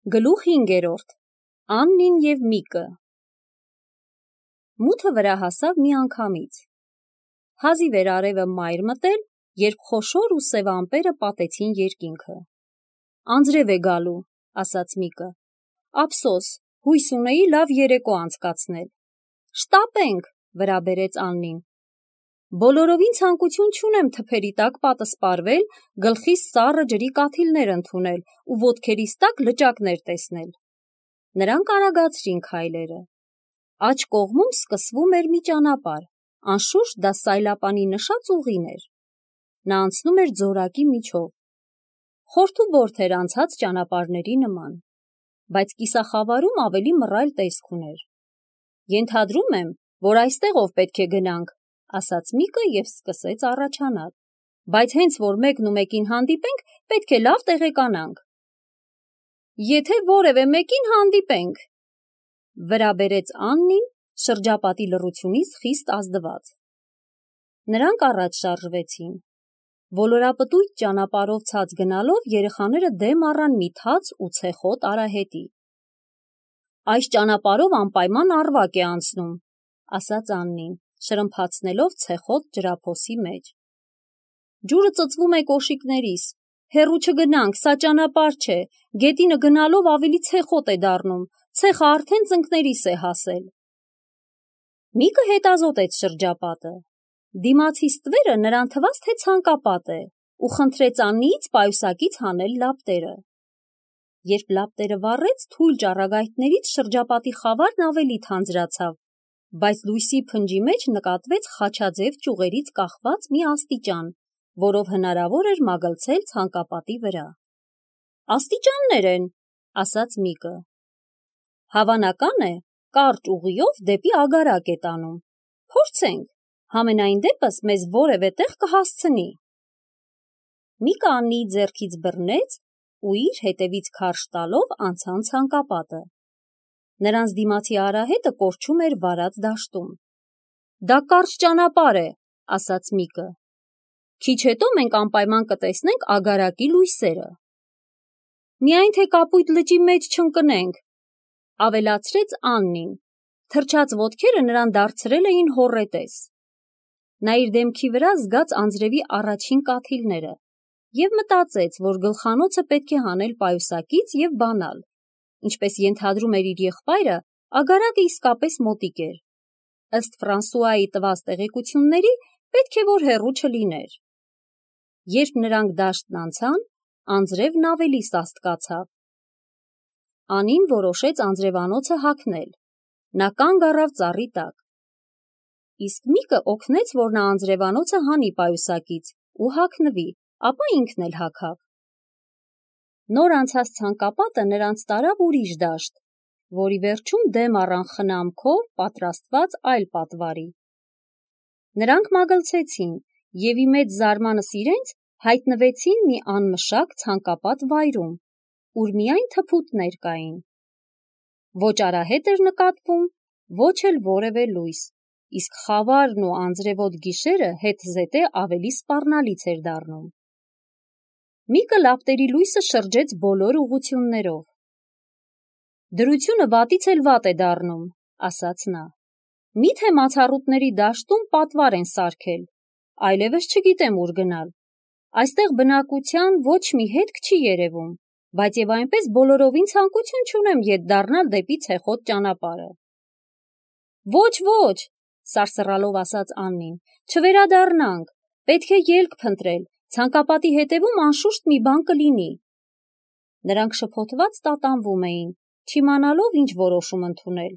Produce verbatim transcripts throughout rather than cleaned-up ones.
Գլուխ հինգերորդ. Աննին և Միկը։ Մութը վրա հասավ մի անգամից։ Հազիվ էր արևը մայր մտել, երբ խոշոր ու սև ամպերը պատեցին երկինքը։ Անձրև է գալու, ասաց Միկը։ Ափսոս, հույս ունեի լավ երեկո անցկացնել։ Շտապենք, վրա բերեց Աննին։ Բոլորովին ցանկություն չունեմ թփերի տակ պատը սպառվել, գլխիս սառը ջրի կաթիլներ ընդունել ու ոտքերիս տակ լճակներ տեսնել։ Նրանք արագացրին քայլերը։ Աջ կողմում սկսվում էր մի ճանապարհ, անշուշտ դա սայլապանի նշած ուղին էր։ Նա անցնում էր ձորակի միջով։ Խորթուբորթ էր անցած ճանապարհների նման, բայց կիսախավարում ավելի մռայլ տեսք ուներ։ Ենթադրում եմ, որ այստեղով պետք է գնանք, ասաց Միկը և սկսեց առաջանալ, բայց հենց որ մեկն ու մեկին հանդիպենք, պետք է լավ տեղեկանանք։ Եթե որևէ մեկին հանդիպենք, վրա բերեց Աննին, շրջապատի լռությունից խիստ ազդված։ Նրանք առաջ շարժվեցին։ Ոլորապտույտ ճանապարհով ցած գնալով երեխաները դեմ առան մի թաց ու ցեխոտ արահետի։ Այս ճանապարհով անպայման Առվակ է անցնում, ասաց Աննին, շրմփացնելով ցեխոտ ջրափոսի մեջ։ Ջուրը ծծվում է կոշիկներիս, հեռու չգնանք, սա ճանապարհ չէ, գետինը գնալով ավելի ցեխոտ է դառնում, ցեխը արդեն ծնկներիս է հասել։ Միկը հետազոտեց շրջապատը։ Դիմացի ստվերը նրան թվաց, թե ցանկապատ է, ու խնդրեց Աննիից պայուսակից հանել լապտերը։ Երբ լապտերը վառեց, թույլ ճառագայթներից շրջապատի խավարն ավելի թանձրացավ, բայց լույսի փնջի մեջ նկատվեց խաչաձև ճյուղերից կախված մի աստիճան, որով հնարավոր էր մագլցել ցանկապատի վրա։ Աստիճաններ են, ասաց Միկը։ Հավանական է, կարճ ուղիով դեպի Ագարակ է տանում։ Փորձենք, համենայն դեպս մեզ որևէ տեղ կհասցնի։ Միկը Աննիի ձեռքից բռնեց ու իր հետևից քարշ տալով անցան ցանկապատը։ Նրանց դիմացի արահետը կորչում էր վարած դաշտում։ Դա կարճ ճանապարհ է, ասաց Միկը։ Քիչ հետո մենք անպայման կտեսնենք Ագարակի լույսերը։ Միայն թե կապույտ լճի մեջ չընկնենք, ավելացրեց Աննին։ Թրջած ոտքերը նրան դարձրել էին հոռետես։ Նա իր դեմքի վրա զգաց անձրևի առաջին կաթիլները և մտածեց, որ գլխանոցը պետք է հանել պայուսակից և բանալ։ Ինչպես ենթադրում էր իր եղբայրը, Ագարակը իսկապես մոտիկ էր։ Ըստ Ֆրանսուայի տված տեղեկությունների, պետք է որ հեռու չլիներ։ Երբ նրանք դաշտն անցան, անձրևն ավելի սաստկացավ։ Անին որոշեց անձրևանոցը հագնել։ Նա կանգ առավ ծառի տակ։ Իսկ Միկը օգնեց, որ նա անձրևանոցը հանի պայուսակից ու հագնվի, ապա ինքն էլ հագավ։ Նոր անցած ցանկապատը նրանց տարավ ուրիշ դաշտ, որի վերջում դեմ առան խնամքով պատրաստված այլ պատվարի։ Նրանք մագլցեցին և ի մեծ զարմանս իրենց հայտնվեցին մի անմշակ ցանկապատ վայրում, ուր միայն թփուտներ կային։ Ոչ արահետ էր նկատվում, ոչ էլ որևէ լույս, իսկ խավարն ու անձրևոտ գիշերը հետզհետե ավելի սպառնալից էր դառնում։ Միկը լապտերի լույսը շրջեց բոլոր ուղղություններով։ Դրությունը վատից էլ վատ է դառնում, ասաց նա։ Միթե մացառուտների դաշտում պատվար են սարքել, այլևս չգիտեմ ուր գնալ։ Այստեղ բնակության ոչ մի հետք չի երևում, բայց և այնպես բոլորովին ցանկություն չունեմ ետ դառնալ դեպի ցեխոտ ճանապարհը։ Ոչ, ոչ, սարսռալով ասաց Աննին, չվերադառնանք, պետք է ելք փնտրել, ցանկապատի հետևում անշուշտ մի բան կլինի։ Նրանք շփոթված տատանվում էին, չիմանալով ինչ որոշում ընդունել։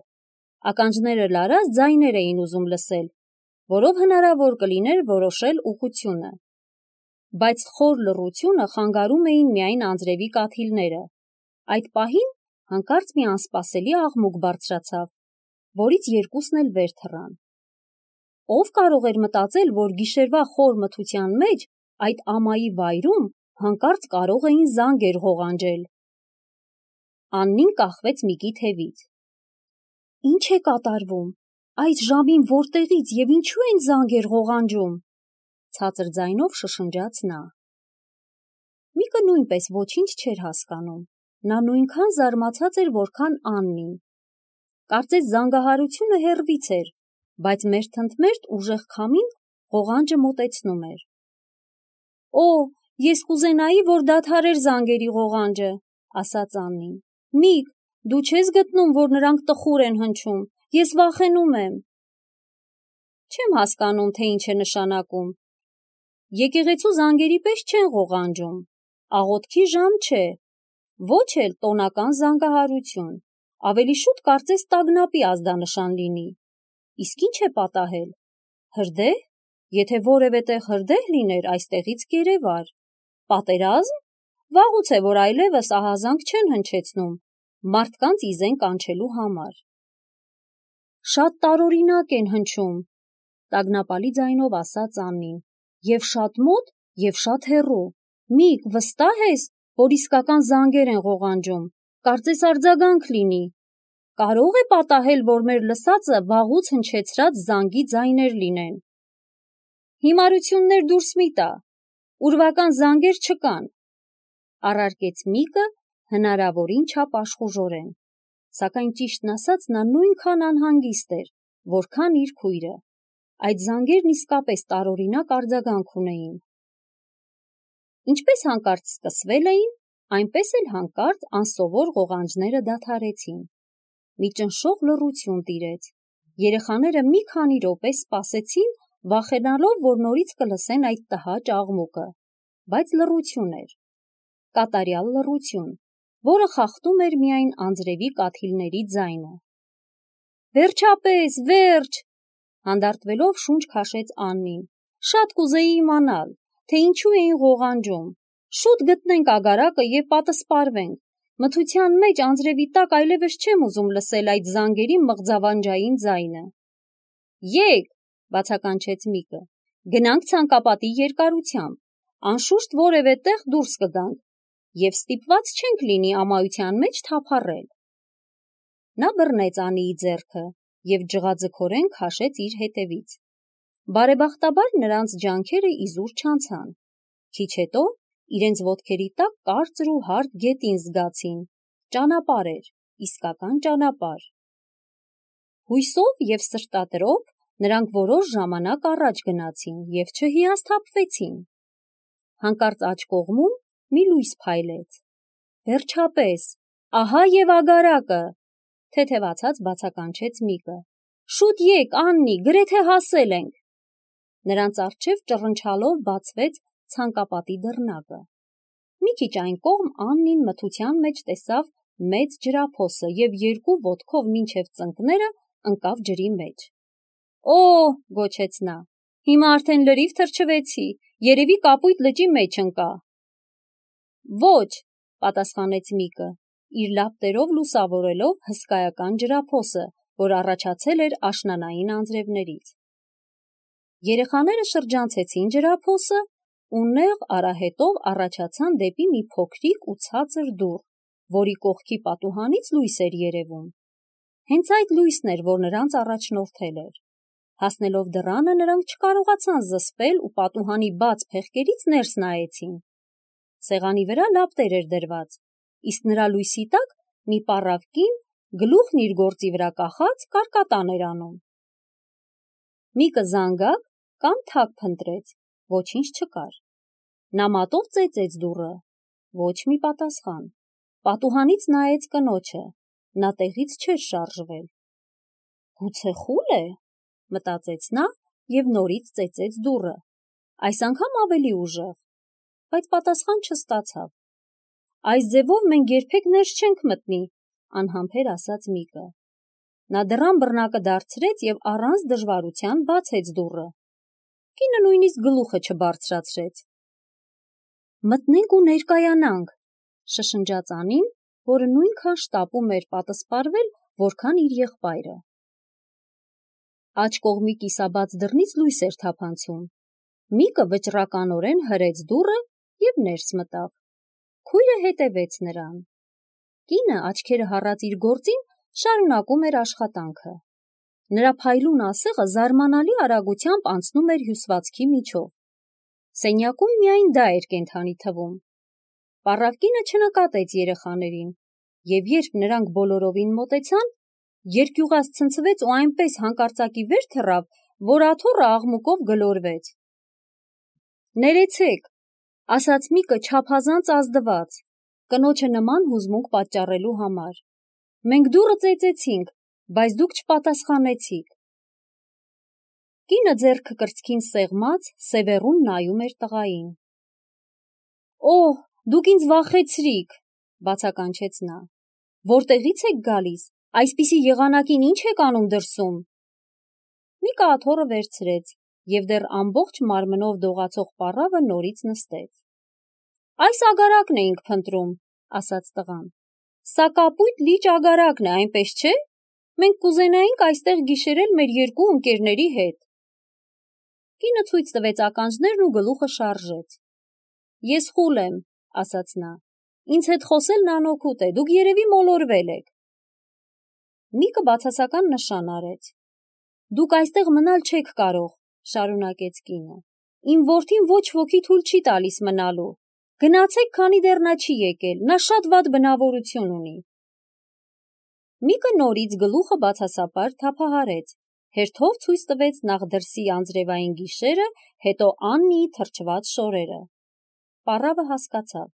Ականջները լարած ձայներ էին ուզում լսել, որով հնարավոր կլիներ որոշել ուղղությունը։ Բայց խոր լռությունը խանգարում էին միայն անձրևի կաթիլները։ Այդ պահին հանկարծ մի անսպասելի աղմուկ բարձրացավ, որից երկուսն էլ վեր թռան։ Ով կարող էր մտածել, որ գիշերվա խոր մթության մեջ այդ ամայի վայրում հանկարծ կարող էին զանգեր ղողանջել։ Աննին կախվեց Միկի թևից։ Ինչ է կատարվում, այս ժամին որտեղից և ինչու են զանգեր ղողանջում, ցածր ձայնով շշնջաց նա։ Միկը նույնպես ոչինչ չէր հասկանում, նա նույնքան զարմացած էր, որքան Աննին։ Կարծես զանգահարությունը հեռվից էր, բայց մերթընդմերթ ուժեղ քամին ղողանջը մոտեցնում էր։ Օ, ես կուզենայի, որ դադարեր զանգերի ղողանջը, ասաց Աննին։ Միկ, դու չես գտնում, որ նրանք տխուր են հնչում, ես վախենում եմ։ Չեմ հասկանում, թե ինչ է նշանակում։ Եկեղեցու զանգերի պես չեն ղողանջում, աղոթքի ժամ չէ, ոչ էլ տոնական զանգահարություն, ավելի շուտ կարծես տագնապի ազդանշան լինի։ Իսկ ինչ է պատահել։ Հրդեհ, եթե որևէ տեղ հրդեհ լիներ, այստեղից կերևար։ Պատերազմ, վաղուց է, որ այլևս ահազանգ չեն հնչեցնում մարդկանց իզեն կանչելու համար։ Շատ տարօրինակ են հնչում, տագնապալի ձայնով ասաց Աննին, եւ շատ մոտ, եւ շատ հեռու։ Միկ, վստահ ես, որ իսկական զանգեր են ղողանջում, կարծես արձագանք լինի։ Կարող է պատահել, որ մեր լսածը վաղուց հնչեցրած զանգի ձայներ լինեն։ Հիմարություններ դուրս մի տա, ուրվական զանգեր չկան, առարկեց Միկը հնարավորին չափ աշխուժորեն, սակայն ճիշտն ասած նա նույնքան անհանգիստ էր, որքան իր քույրը։ Այդ զանգերն իսկապես տարօրինակ արձագանք ունեին։ Ինչպես հանկարծ սկսվել էին, այնպես էլ հանկարծ անսովոր ղողանջները դադարեցին։ Մի ճնշող լռություն տիրեց։ Երեխաները մի քանի րոպե սպասեցին, վախենալով, որ նորից կլսեն այդ տհաճ աղմուկը, բայց լռություն էր, կատարյալ լռություն, որը խախտում էր միայն անձրևի կաթիլների ձայնը։ Վերջապես, վերջ, հանդարտվելով շունչ քաշեց Աննին։ Շատ կուզեի իմանալ, թե ինչու էին ղողանջում։ Շուտ գտնենք ագարակը եւ պատասպարվենք։ Մթության մեջ անձրևի տակ այլևս չեմ ուզում լսել այդ զանգերի մղձավանջային ձայնը։ Եկ, բացականչեց Միկը, գնանք ցանկապատի երկարությամբ, անշուշտ որևէ տեղ դուրս կգանք եւ ստիպված չենք լինի ամայության մեջ թափառել։ Նա բռնեց Անիի ձեռքը եւ ջղաձգորեն քաշեց իր հետևից։ Բարեբախտաբար նրանց ջանքերը իզուր չանցան։ Քիչ հետո իրենց ոտքերի տակ կարծր ու հարթ գետին զգացին։ Ճանապարհ էր, իսկական ճանապարհ։ Հույսով եւ սրտատրոփ նրանք որոշ ժամանակ առաջ գնացին եւ չհիասթափվեցին։ Հանկարծ աջ կողմում մի լույս փայլեց։ Վերջապես, ահա եւ ագարակը, թեթևացած բացականչեց Միկը։ Շուտ եկ, Աննի, գրեթե հասել ենք։ Նրանց առջև ճռնչալով բացվեց ցանկապատի դռնակը։ Մի քիչ այն կողմ Աննին մթության մեջ տեսավ մեծ ջրափոսը եւ երկու ոտքով մինչև ծնկները ընկավ ջրի մեջ։ Օ, գոչեց նա, հիմա արդեն լրիվ թրջվեցի, երևի կապույտ լճի մեջ ընկա։ Ոչ, պատասխանեց Միկը, իր լապտերով լուսավորելով հսկայական ջրափոսը, որ առաջացել էր աշնանային անձրևներից։ Երեխաները շրջանցեցին ջրափոսը ու նեղ արահետով առաջացան դեպի մի փոքրիկ ու ցածր դուռ, որի կողքի պատուհանից լույս էր երևում։ Հենց այդ լույսն էր, որ նրանց առաջնորդել էր։ Հասնելով դռանը նրանք չկարողացան զսպել ու պատուհանի բաց փեղկերից ներս նայեցին։ Սեղանի վրա լապտեր էր դրված, իսկ նրա լույսի տակ մի պառավ կին, գլուխն իր գործի վրա կախած, կարկատան էր անում։ Միկը զանգակ կամ թակ փնտրեց, ոչինչ չկար։ Նա մատով ծեծեց դուռը, ոչ մի պատասխան։ Պատուհանից նայեց կնոջը, նա տեղից չէր շարժվել։ Գուցե խուլ է, մտածեց նա եւ նորից ծեծեց դուռը, այս անգամ ավելի ուժեղ, բայց պատասխան չստացավ։ Այս ձևով մենք երբեք ներս չենք մտնի, անհամբեր ասաց Միկը։ Նա դռան բռնակը դարձրեց եւ առանց դժվարության բացեց դուռը։ Կինը նույնիսկ գլուխը չբարձրացրեց։ Մտնենք ու ներկայանանք, շշնջաց Անին, որը նույնքան շտապում էր պատասպարվել, որքան իր եղբայրը։ Աջ կողմի կիսաբաց դռնից լույս էր թափանցում։ Միկը վճռականորեն հրեց դուռը եւ ներս մտավ։ Քույրը հետևեց նրան։ Կինը, աչքերը հառած իր գործին, շարունակում էր աշխատանքը։ Նրա փայլուն ասեղը զարմանալի արագությամբ անցնում էր հյուսվածքի միջով։ Սենյակում միայն դա էր կենդանի թվում։ Պառավկինը չնկատեց երեխաներին, և երբ նրանք բոլորովին մոտեցան, երկյուղած ցնցվեց ու այնպես հանկարծակի վեր թռավ, որ աթոռը աղմուկով գլորվեց։ «Ներեցեք», ասաց Միկը չափազանց ազդված, կնոջը նման հուզմունք պատճառելու համար։ «Մենք դուռը ծեծեցինք, բայց դուք չպատասխանեցիք»։ Կինը ձեռքը կրծքին սեղմած, սևեռուն նայում էր տղային։ «Օհ, դուք ինձ վախեցրիք», բացականչեց նա։ «Որտեղից եք գալիս, այսպիսի եղանակին ինչ եք անում դրսում»։ Միկը աթոռը վերցրեց, և դեռ ամբողջ մարմնով դողացող պառավը նորից նստեց։ «Այս ագարակն էինք փնտրում», ասաց տղան։ «Սա կապույտ լիճ ագարակն է, այնպես չէ՞։ Մենք կուզենայինք այստեղ գիշերել մեր երկու ընկերների հետ»։ Կինը ցույց տվեց ականջներն ու գլուխը շարժեց։ «Ես խուլ եմ», ասաց նա։ «Ինձ հետ խոսելն անօգուտ է, դուք երևի մոլորվել եք»։ Միկը բացասական նշան արեց։ «Դուք այստեղ մնալ չեք կարող», շարունակեց կինը։ «Իմ որդին ոչ ոքի թույլ չի տալիս մնալու։ Գնացեք, քանի դեռ նա չի եկել, նա շատ վատ բնավորություն ունի»։ Միկը նորից գլուխը բացասապար թափահարեց, հերթով ցույց տվեց նախ դրսի անձրևային գիշերը, հետո Աննիի թրջված շորերը։ Պառավը հասկացավ։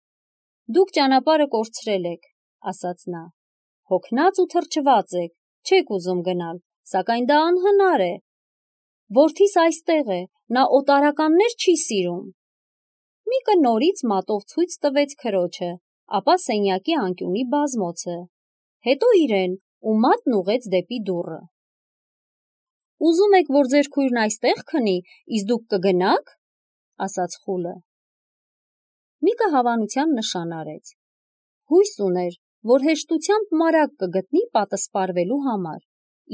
«Դուք ճանապարհը կորցրել եք», ասաց նա։ «Հոգնած ու թրջված եք, չեք ուզում գնալ, սակայն դա անհնար է։ Որդիս այստեղ է, նա օտարականներ չի սիրում»։ Միկը նորից մատով ցույց տվեց քրոջը, ապա սենյակի անկյունի բազմոցը, հետո իրեն ու մատն ուղղեց դեպի դուռը։ «Ուզում եք, որ ձեր քույրն այստեղ քնի, իսկ դուք կգնա՞ք», ասաց խուլը։ Միկը հավանության նշան արեց։ Հույս ուներ, որ հեշտությամբ մարակ կգտնի պատսպարվելու համար,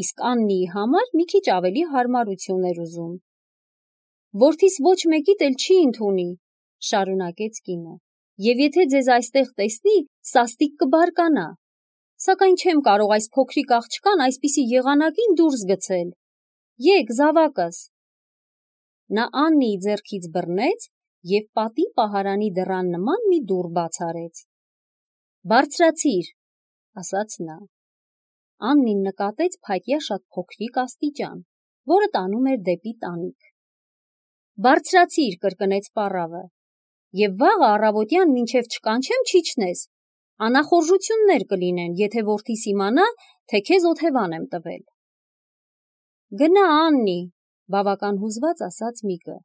իսկ Աննիի համար մի քիչ ավելի հարմարություն էր ուզում։ «Որդիս ոչ մեկիդ էլ չի ընդունի», շարունակեց կինը, «և եթե ձեզ այստեղ տեսնի, սաստիկ կբարկանա։ Սակայն չեմ կարող այս փոքրիկ աղջկան այսպիսի եղանակին դուրս գցել։ Եկ, զավակս»։ Նա Աննիի ձեռքից բռնեց և պատի պահարանի դռան նման մի դուռ բաց արեց։ «Բարձրացիր», ասաց նա։ Աննին նկատեց փայտյա շատ փոքրիկ աստիճան, որը տանում էր դեպի տանիք։ «Բարձրացիր», կրկնեց պառավը, «և վաղը առավոտյան մինչև չկանչեմ չիջնես, անախորժություններ կլինեն, եթե որդիս իմանա, թե քեզ օթևան եմ տվել»։ «Գնա, Աննի», բավական հուզված ասաց Միկը։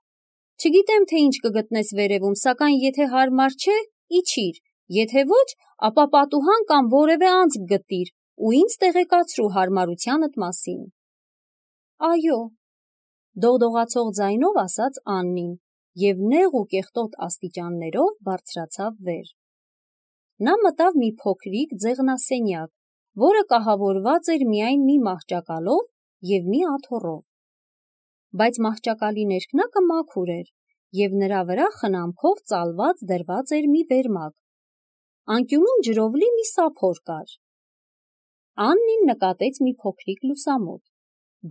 «Չգիտեմ, թե ինչ կգտնես վերևում, սակայն եթե հարմար չէ, իջիր, եթե ոչ, ապա պատուհան կամ որևէ անցք գտիր ու ինձ տեղեկացրու հարմարությանդ մասին»։ «Այո», դողդողացող ձայնով ասաց Աննին և նեղ ու կեղտոտ աստիճաններով բարձրացավ վեր։ Նա մտավ մի փոքրիկ ձեղնասենյակ, որը կահավորված էր միայն մի մահճակալով և մի աթոռով։ Բայց մահճակալի ներքնակը մաքուր էր, և նրա վրա խնամքով ծալված դրված էր մի վերմակ։ Անկյունում ջրով լի մի սափոր կար։ Աննին նկատեց մի փոքրիկ լուսամուտ,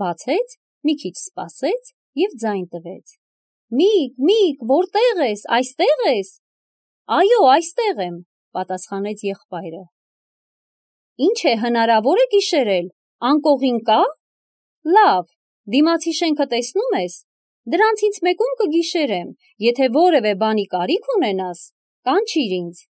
բացեց, մի քիչ սպասեց և ձայն տվեց։ «Միկ, Միկ, որտե՞ղ ես, այստե՞ղ ես»։ «Այո, այստեղ եմ», պատասխանեց եղբայրը։ «Ինչ է, հնարավոր է գիշերել, անկողին կա՞։ Լավ, դիմացի շենքը տեսնու՞մ ես։ Դրանցից մեկում կգիշերեմ, եթե որևէ բանի կարիք ունենաս, կանչիր ինձ»։